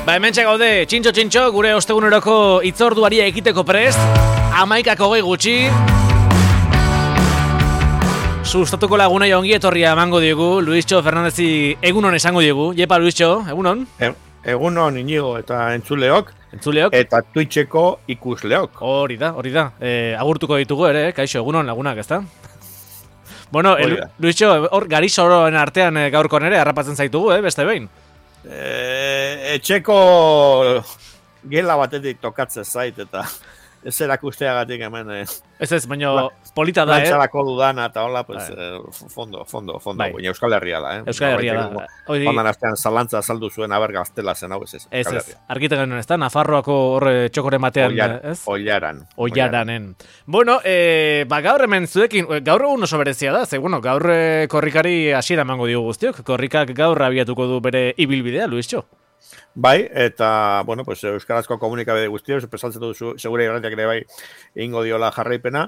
Ba, hementxe gaude, txintxo, gure osteguneroko itzorduaria ekiteko prest, 11:20 gutxi. Sustatuko lagunai ongi etorria emango diegu, Luistxo Fernandezi egunon esango diegu. Jepa, Luistxo, egunon? Egunon inigo eta entzuleok. Eta Twitcheko ikusleok. Hori da. Agurtuko ditugu ere, kaixo, egunon lagunak, ezta? Bueno, Luistxo, hor gari soroen artean gaurko nere harrapatzen zaitugu, beste behin. Etxeko gela batetik tokatzen zait eta ez erakusteagatik hemen ez, baina polita da, Lantzarako dudana eta hola, pues, fondo, baina Euskal Herria da, Euskal Herria da. Ondan astean zalantza azaldu zuen aber gaztela zen hau, ez. Ez, argite genuen, ez da, Nafarroako horre txokoren batean, ez? Ollaranen. Bueno, gaur hemen zuekin, gaur egun oso berezia da, ze, bueno, gaur korrikari hasiera emango diogu guztiok, korrikak gaur abiatuko du bere ibilbidea, Luistxo. Bai, eta, bueno, pues, euskarazko komunikabide guztiok, pesaltzen duzu, segure garrantiak ere bai, ingo diola jarraipena,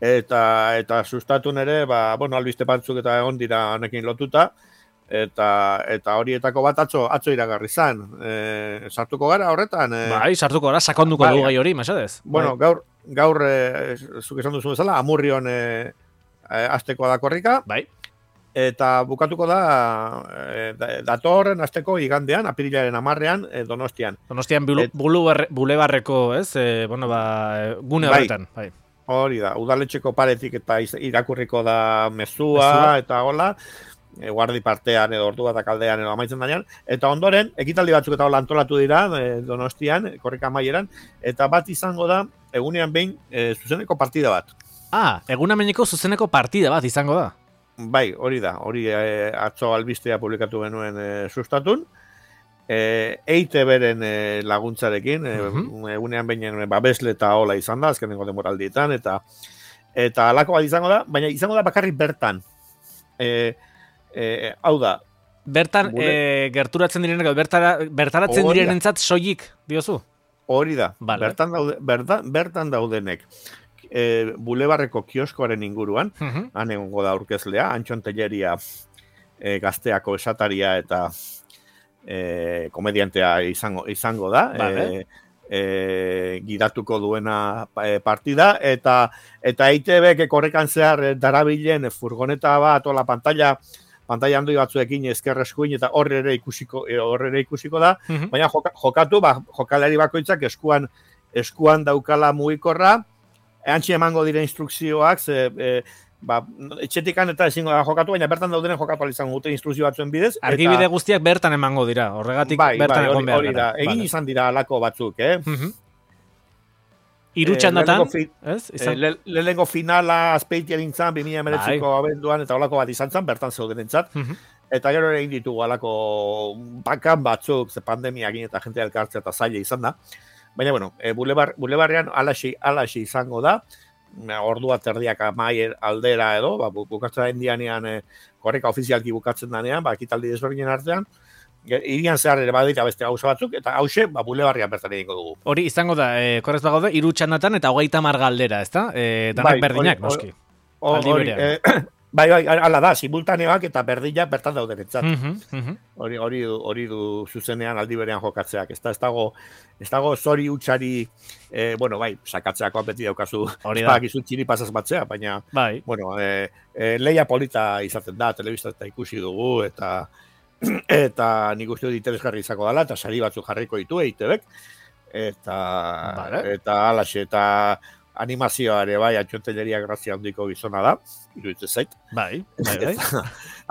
eta sustatun ere, bueno, albiste batzuk eta egon dira honekin lotuta, eta horietako bat atzo iragarri zan. Sartuko gara horretan? Bai, sartuko gara, sakonduko dugu gai hori, mesedez. Bueno, gaur zuk esan duzu bezala, Amurrion azteko da korrika. Bai. Eta bukatuko da datorren asteko igandean, apirilaren 10ean, Donostian. Donostian bulebarreko, ez? Gune horretan. Bai. Hori da, udaletxeko paretik eta irakurriko da mezua eta hola, guardi partean edo ordu bat kaldean edo amaitzen danean, eta ondoren, ekitaldi batzuk eta hola antolatu dira Donostian, korrika amaieran, eta bat izango da, egunean behin, zuzeneko partida bat. Egunean behineko zuzeneko partida bat izango da? Bai, hori da, atzo albistea publikatu genuen sustatun, EITB-ren laguntzarekin, egunean behin babesle eta hola izan da, azkenengo demoraldietan, eta alako bat izango da, baina izango da bakarrik bertan. Hau da. Bertan, gerturatzen direnek, bertaratzen direnentzat soilik, diozu? Hori da, bertan daudenek. Bulebarreko kioskoaren inguruan, han egongo da aurkezlea, Antxon Telleria gazteako esataria eta komediantea izango da, gidatuko duena partida, eta EITB korrekan zehar darabilen furgoneta bat, ola pantalla handoi batzuekin ezkerreskuin, eta horre ere ikusiko da, baina jokatu, jokalari bakoitzak eskuan daukala mugikorra, Antxe emango dire instrukzioak, etxetikan eta ezingo da jokatu, baina bertan daudenen jokatu izango dute instrukzio batzuen bidez. Argibide guztiak bertan emango dira, horregatik bertan egon behar gara. Egin izan dira alako batzuk, Irutxandatan, lehenengo finala azpeitian nintzen, 2019ko abenduan, eta olako bat izan zen, bertan zeudenentzat. Eta gero ere egin ditugu alako bakan batzuk, ze pandemiakin eta jente elkartzea eta zaila izan da. Baina, bueno, bulebarrean alaxi izango da, ordua terdiak amaier aldera edo, bukatzen da indianean korreka ofizialki bukatzen danean, ekitaldi desberdinen artean, irian zehar ere badira beste gauza batzuk, eta hause, bulebarrean bertan egingo dugu. Hori izango da, korrez bagaude, 3 txandatan eta 30 galdera, ezta? Danak berdinak, noski. Aldi berean. Bai, ala da, simultaneoak eta berdila bertan daudenetzat. Hori du zuzenean aldi berean jokatzeak. Ez dago zori utxari, sakatzeakoan beti daukazu, espakizu txiri pasaz batzea, baina, leia polita izaten da, telebista eta ikusi dugu, eta nik uste dut interesgarri izako dela, eta sari batzuk jarriko ditu EITB-ek, eta alaxe, eta animazioa ere bai, Antxon Telleria grazia handiko gizona da, iruditzen zait. Bai.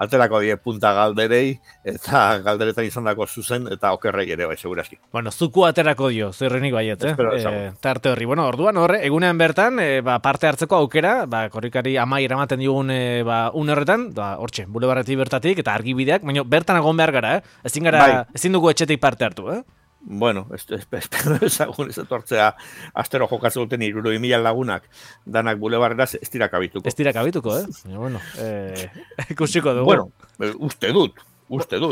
Alterako 10 punta galderei, eta galderetan izan dako zuzen, eta okerrei ere bai, segurazki. Bueno, zuku aterako dio, zerrenik baiet, tarte horri. Bueno, orduan horre, egunean bertan, parte hartzeko aukera, korrikari amai eramaten digun une horretan, hortxe, bulebarretik bertatik, eta argibideak, baina bertan egon behar gara, ezin dugu etxetik parte hartu, Bueno, espero ezagun ez etortzea astero jokatzen duten 60.000 lagunak danak bulebarrera ez dira kabituko. Ez dira kabituko, Bueno, ikusiko dugu. Bueno, uste dut,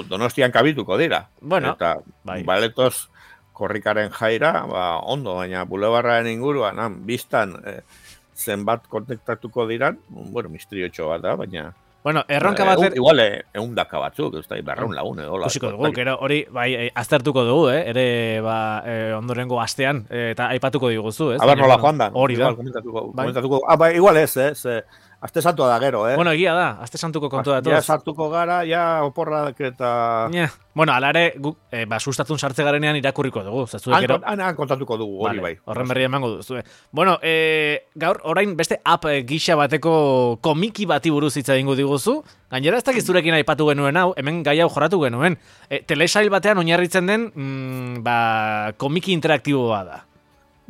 Donostian kabituko dira. Bueno, eta baletoz korrikaren jaira, ondo, baina bulebarraren inguruan, biztan zenbat kontaktatuko diran, bueno, misteriotxo bat da, baina Bueno, erronka bater... Igual, eundaka batzuk, ez da, berreun lagun, edo. Kusiko dugu, gero hori, bai, aztertuko dugu, ere, ondorengo astean, eta aipatuko diguzu, ez? Aber nola joan da. Hori da. Komentatuko. Igual ez, aste santua da gero, Bueno, egia da, aste santuko kontu datoz. Ja sartuko gara, ja oporrak eta... Bueno, alare, sustatun sartze garenean irakurriko dugu. Han kontatuko dugu, hori bai. Horren berri emango duzu. Bueno, gaur, orain beste app gisa bateko komiki bati buruz hitz egingo diguzu. Gainera ez dakiz zurekin aipatu genuen hau, hemen gai hau jorratu genuen. Telesail batean oinarritzen den, komiki interaktiboa da.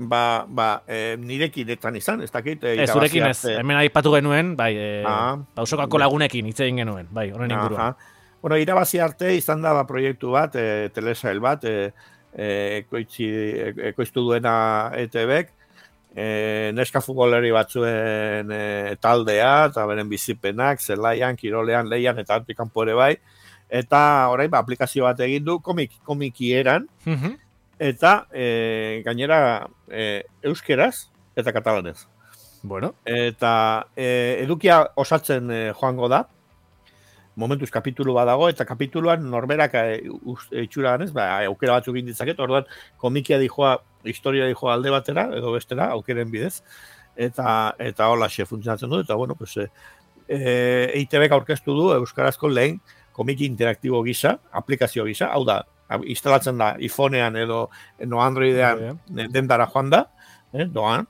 Nirekinetan izan, ez dakit. Zurekin ez, hemen aipatu genuen, pausokako lagunekin hitz egin genuen, horren inguruan. Bueno, irabazi arte izan da proiektu bat, telesail bat, ekoiztu duena ETBek, neska futboleri batzuen taldea, eta beren bizipenak, zelaian, kirolean, leian, eta antikampo ere bai, eta orain aplikazio bat egin du komikieran, eta gainera euskeraz eta katalanez. Bueno. Eta edukia osatzen joango da, momentuz kapitulu badago, eta kapituluan norberak itxura ganez, aukera batzuk inditzaket, orduan komikia dijoa, historia dijoa alde batera, edo bestera, aukeren bidez, eta hola funtzionatzen du, eta bueno, pues, EITBek aurkeztu du euskarazko lehen komiki interaktibo gisa, aplikazio gisa, hau da, instalatzen da iPhonean edo Androidean dendara joan da, doan,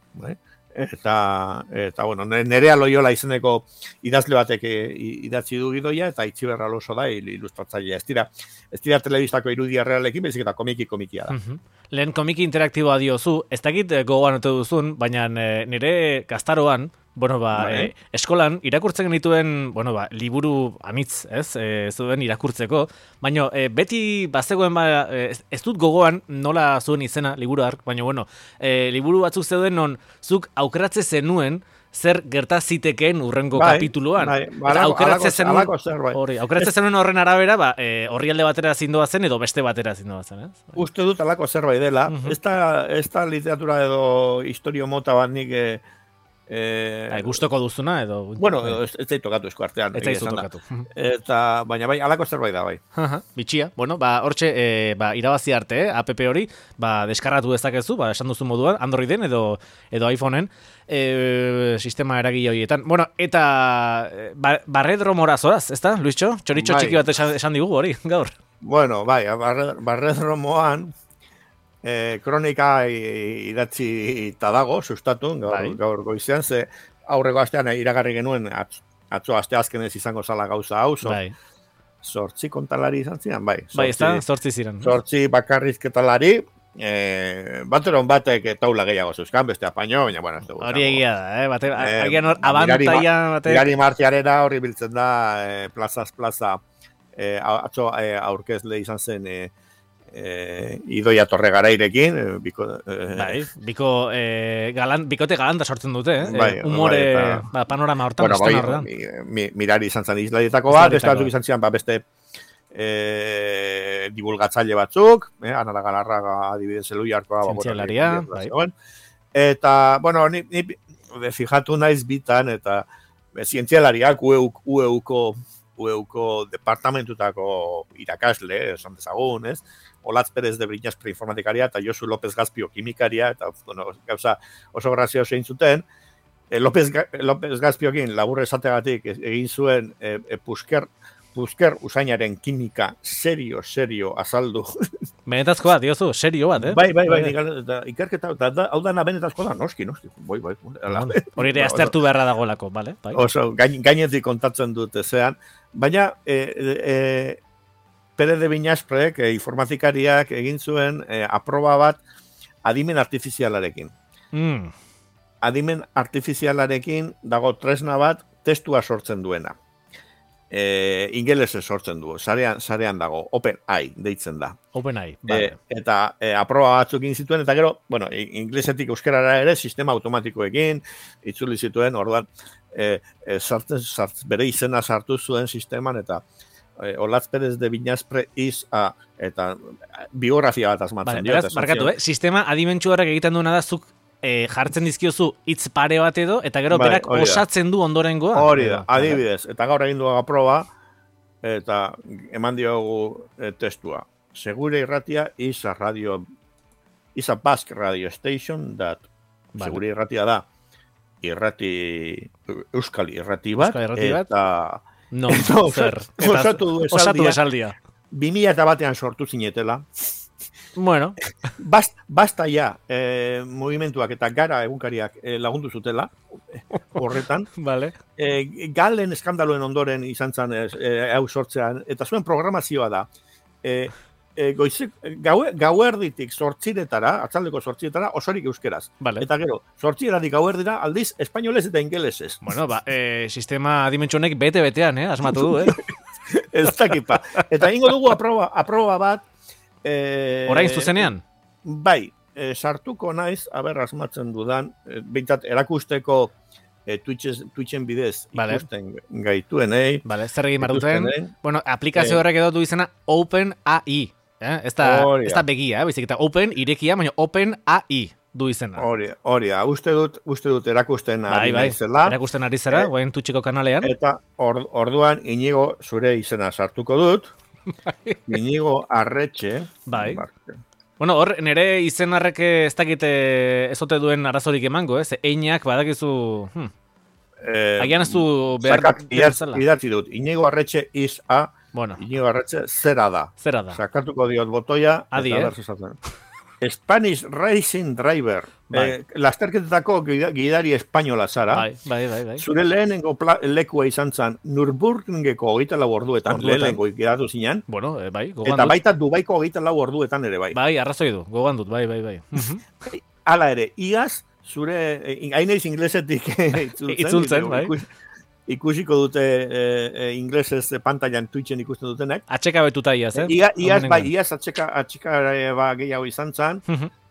eta bueno, Nerea Loyola izeneko idazle batek idatzi du gidoia, eta Itziber Alonso da ilustratzailea. Ez dira telebistako irudia realekin, bezik eta komikia da. Lehen komiki interaktiboa diozu, ez dakit gogoan ote duzun, baina nire gaztaroan, eskolan irakurtzen genituen, liburu anitz, zuen irakurtzeko, baina beti bazegoen, ez dut gogoan nola zuen izena liburu hark, baina liburu batzuk zeuden non zuk aukeratze zenuen zer gerta zitekeen urrengo kapituluan. Aukeratze zenuen horren arabera, horri alde batera zindoa zen edo beste batera zindoa zen. Uste dut alako zerbait dela, ez da literatura edo historio mota bat nik gustoko duzuna edo... Bueno, ez da tokatu esku artean. Ez da tokatu. Baina alako zerbait da bai. Bitxia. Bueno, hortxe irabazi arte, app hori, deskarratu dezakezu, esan duzu moduan, Androiden edo iPhoneen, sistema eragile horietan. Bueno, eta barredromora zoaz, ez da, Luistxo? Txoritxo txiki bat esan digugu hori, gaur. Bueno, barredromoan, kronika idatzi eta dago, sustatu, gaur goizean, ze aurreko astean iragarri genuen, atzo aste azkenez izango zala gauza hau, sortzi kontalari izan ziren, ez da, sortzi ziren. Sortzi bakarrizketalari, bateron batek taula gehiago zeuzkan, beste apaino, baina, bueno, ez dugu. Hori egia da, agian hor, abantaia... Mirari martiarera horri biltzen da, plazaz plaza, atzo aurkezle izan zen, Idoia Torregarairekin, bikote galanta sortzen dute, humore panorama hortan. Mirari izan zen izlaietako bat, beste batzuk izan zian, beste divulgatzaile batzuk, Anara Galarraga adibidez Eluiarkoa, zientzialaria, eta, bueno, ni fijatu naiz bitan, eta zientzialariak UEUko departamentutako irakasle, esan dezagun, ez? Olatz Perez de Briñas preinformatikaria eta Josu López Gazpio kimikaria, eta gauza oso grazio zein zuten. López Gazpiokin labur esategatik egin zuen Pusker usainaren kimika serio azaldu. Benetazkoa, diozu, serio bat, Bai, ikerketa, hau dana benetazkoa da, noski. Hori ere aztertu beharra dagolako, bale? Oso, gainetik kontatzen dut ezean, baina Pere de Viñasprek, informatikariak egin zuen aproba bat adimen artifizialarekin. Adimen artifizialarekin dago tresna bat testua sortzen duena. Ingelesez sortzen du, sarean dago, OpenAI deitzen da. OpenAI, bale. Eta aproba batzuk egin zituen, eta gero, bueno, inglesetik euskarara ere, sistema automatikoekin, itzuli zituen, orduan, bere izena sartu zuen sisteman, eta Olatz Perez de Viñaspre eta biografia bat asmatzen. Beraz, markatu, sistema adimentsu horrek egiten duena da, zuk jartzen dizkiozu hitz pare bat edo, eta gero berak osatzen du ondorengoa. Hori da, adibidez, eta gaur egin dugu proba, eta eman diogu testua. Segure irratia is a Basque radio station that segure irratia da Euskal irrati bat, eta osatu du esaldia. 2001 sortu zinetela. Bueno. Basta ja, movimentuak eta gara egunkariak lagundu zutela, horretan. Vale. Galen eskandaloen ondoren izan zen hau sortzean, eta zuen programazioa da. Gauerditik sortziretara, atzaldeko sortziretara, osorik euskeraz. Vale. Eta gero, sortziratik gauerdira, aldiz, espainolez eta ingelesez. Bueno, sistema dimentsionek bete-betean, asmatu du, Ez dakipa. Eta ingo dugu aproba bat, orain zuzenean? Bai, sartuko naiz, asmatzen dudan, behintzat erakusteko Twitchen bidez ikusten gaituen, Vale, zer egin maruten? Bueno, aplikazio horrek edo du izena OpenAI. Ez da begia, bizik eta Open, irekia, baina OpenAI du izena. Hori, uste dut erakusten ari naizela. Erakusten ari zera, guain Twitcheko kanalean. Eta orduan Inigo zure izena sartuko dut. Inigo Arretxe. Bai. Bueno, hor, nire izen harrek ez dakite ezote duen arazorik emango, einak badakizu... Agian ez du behar... Idatzi dut, Inigo Arretxe is a... Bueno. Inigo Arretxe zera da. Sakatuko diot botoia. Adi, Spanish Racing Driver. Lasterketetako gidari espainola zara. Bai. Zure lehenengo lekua izan zen Nürburgringeko 24 orduetan, lehenengo ikidatu zinen. Bueno, bai, gogan dut. Eta baita Dubaiko 24 orduetan ere bai. Bai, arrazoi du, gogan dut, bai. Hala ere, iaz, zure, haineiz inglesetik itzultzen, bai. Ikusiko dute inglesez pantailan Twitchen ikusten dutenek. Atxeka betuta iaz, Iaz atxeka gehiago izan zen,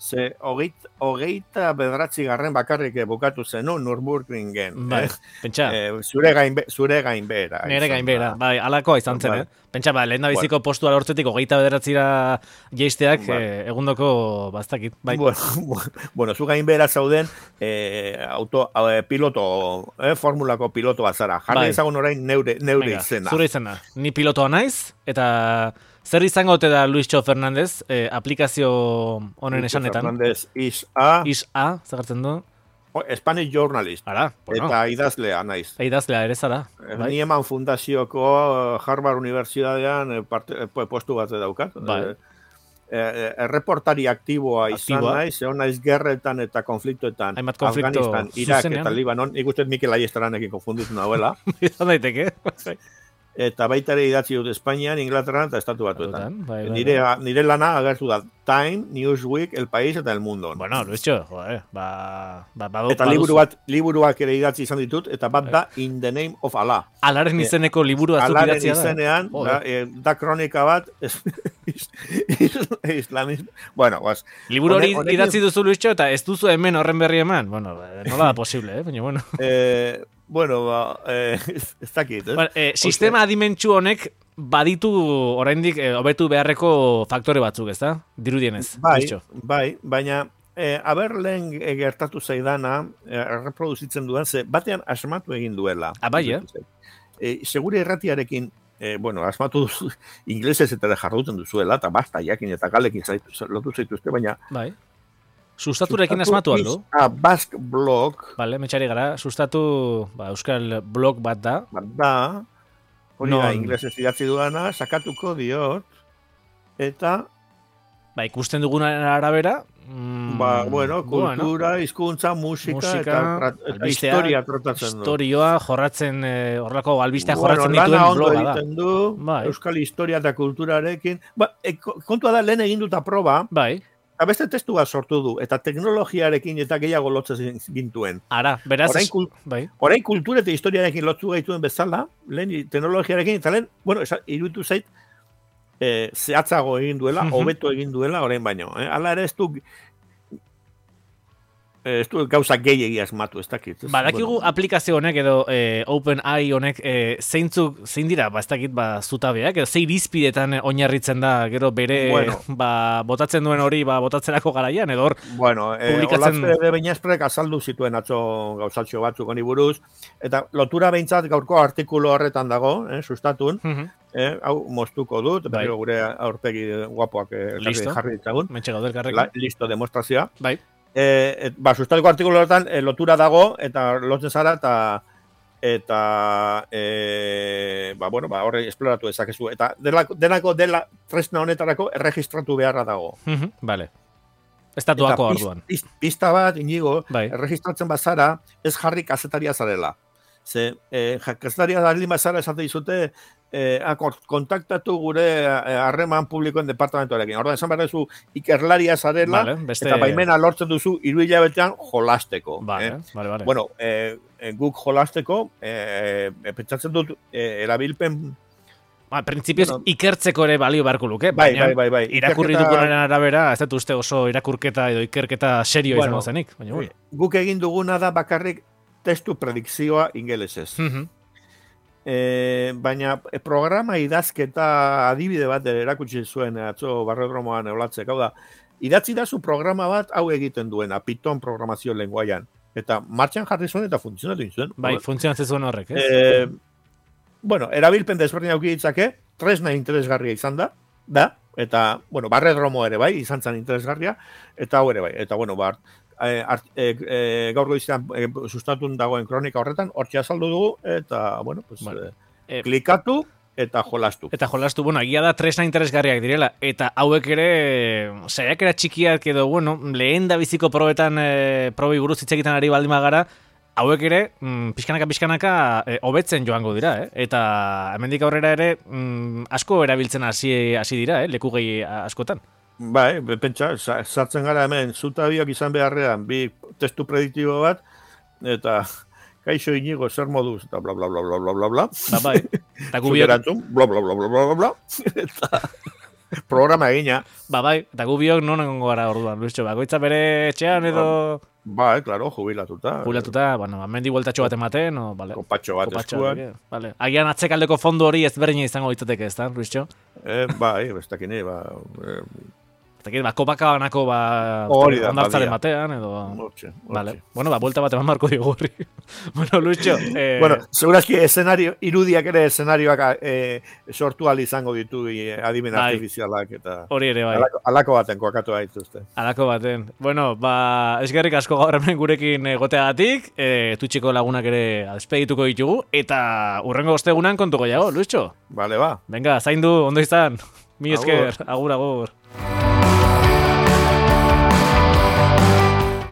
ze hogeita bedratzi garren bakarrik bukatu zen, Nürburgringen. Bai, pentsa. Zure gainbehera. Nere gainbehera, bai, alakoa izan zen, Pentsa, lehen da biziko postua lortzetik hogeita bederatzira jeisteak egundoko bastakit. Bai. Bueno, zu gainbehera zauden piloto, formulako pilotoa zara. Jarri ezagun orain neure izena. Zure izena. Ni pilotoa naiz, eta zer izango ote da Luisxo Fernandez aplikazio honen esanetan? Fernandez is a, zagartzen du? Spanish journalist. Ara, bueno. Eta idazlea naiz. Idazlea ere zara. Ni eman fundazioko Harvard Universidadean postu bat daukat. Bai. Erreportari aktiboa izan naiz, egon naiz gerretan eta konfliktoetan. Afganistan, Irak eta Libanon. Ikusten Mikel Aiestaranekin konfunditu nahuela. Izan daiteke. Eta baita ere idatzi dut Espainian, Inglaterran eta Estatu Batuetan. Nire lana agertu da Time, Newsweek, El País eta El Mundo. Bueno, Luisxo, eta liburuak ere idatzi izan ditut, eta bat da In the Name of Allah. Alaren izeneko liburu azuk idatzia da. Alaren izenean, da kronika bat, islamismo. Bueno, liburu hori idatzi duzu, Luisxo, eta ez duzu hemen horren berri eman. Bueno, nola da posible, baina bueno. Bueno, ez dakit, sistema adimentsu honek baditu oraindik hobetu beharreko faktore batzuk, ez da? Dirudienez. Bai, baina lehen gertatu zaidana, erreproduzitzen dudan, ze batean asmatu egin duela. Bai, segure erratiarekin, asmatu duzu, inglesez eta jarduten duzuela, eta basta, jakin eta galekin lotu zaituzte, baina... Bai. Sustaturekin asmatu aldo? Basque blog. Bale, metxari gara, sustatu euskal blog bat da. Hori da, inglesez idatzi duana, sakatuko diot, eta... ikusten dugunaren arabera... kultura, hizkuntza, musika eta historia trotatzen du. Historioa jorratzen, horrelako albistea jorratzen dituen bloga da. Euskal historia eta kulturarekin. Kontua da, lehen egin duta proba. Bai. Eta beste testu bat sortu du, eta teknologiarekin eta gehiago lotzen gintuen. Ara, beraz... Orain kultura eta historiarekin lotzu gaituen bezala, lehen teknologiarekin, eta lehen, iruditu zait, zehatzago egin duela, hobeto egin duela, orain baino. Hala ere ez du... ez du gauza gehiegi asmatu, ez dakit. Badakigu aplikazio honek edo OpenAI honek zein dira, ez dakit, zutabeak, edo zein irizpidetan oinarritzen da, gero bere botatzen duen hori botatzerako garaian, edo hor publikatzen... Olatze Beñasprek azaldu zituen atzo gauzatxo batzuk honi buruz, eta lotura behintzat gaurko artikulu horretan dago, sustatun, hau moztuko dut, pero gure aurpegi guapoak jarri ditzagun. Mentxe gaudel karrekin. Listo, demostrazioa. Bai. Sustatuko artikulu horretan lotura dago, eta lotzen zara, eta horre esploratu ezakezu. Eta denako dela tresna honetarako erregistratu beharra dago. Vale. Estatuako orduan. Pista bat, inigo, erregistratzen bazara, ez jarri kazetaria zarela. Ze, kazetaria zareli bazara esate dizute, kontaktatu gure harreman publikoen departamentoarekin. Orduan, esan behar duzu ikerlaria zarela, eta baimena lortzen duzu 3 hilabetean jolasteko. Vale. Bueno, guk jolasteko, pentsatzen dut, erabilpen... Printzipioz ikertzeko ere balio beharko luke. Bai. Irakurri dugunaren arabera, ez dut uste oso irakurketa edo ikerketa serio izango zenik. Guk egin duguna da bakarrik testu predikzioa ingelesez. Baina programa idazketa adibide bat erakutsi zuen atzo barrodromoan eolatzek. Hau da, idatzi da zu programa bat hau egiten duena, Python programazio lenguaian. Eta martxan jarri zuen eta funtzionatu zuen. Bai, funtzionatzen zuen horrek, ez? Erabilpen desberdin auki ditzake, tresna interesgarria izan da, eta, barredromo ere bai, izan zen interesgarria, eta hau ere bai. Eta, gaur goizean sustatun dagoen kronika horretan, hortxe azaldu dugu, eta, klikatu eta jolastu. Egia da tresna interesgarriak direla, eta hauek ere, saiakera txikiak edo, lehen da biziko probetan, probi buruz hitz egiten ari baldin bagara, hauek ere, pixkanaka hobetzen joango dira, eta hemendik aurrera ere asko erabiltzen hasi dira, leku gehi askotan. Bai, pentsa, sartzen gara hemen, zutabiak izan beharrean, bi testu prediktibo bat, eta kaixo inigo zer moduz, eta bla bla bla bla bla bla bla. Bai, eta gubiok... bla bla bla bla bla bla, eta programa egina. Bai, eta gubiok non egongo gara orduan, Luisio, bakoitza bere etxean edo... Bai, claro, jubilatuta. Mendi bueltatxo bat ematen, o, vale. Kopatxo bat eskuan. Vale. Agian atzekaldeko fondo hori ezberdina izango ditzateke, ez da, Luisio? Bai, bestakine, kopaka banako, ondartzaren batean, edo... Hortxe. Vale. Buelta bat eman marko digu horri. Luisio... segurazki irudiak ere eszenarioak sortu izango ditu adimen artifizialak, eta... Hori ere, bai. Alako baten kokatu haituzte. Alako baten. Eskerrik asko gaur hemen gurekin goteagatik, tutxiko lagunak ere despedituko ditugu, eta urrengo ostegunan kontuko jago, Luisio? Vale, ba. Venga, zaindu, ondo izan. Mi esker, agur.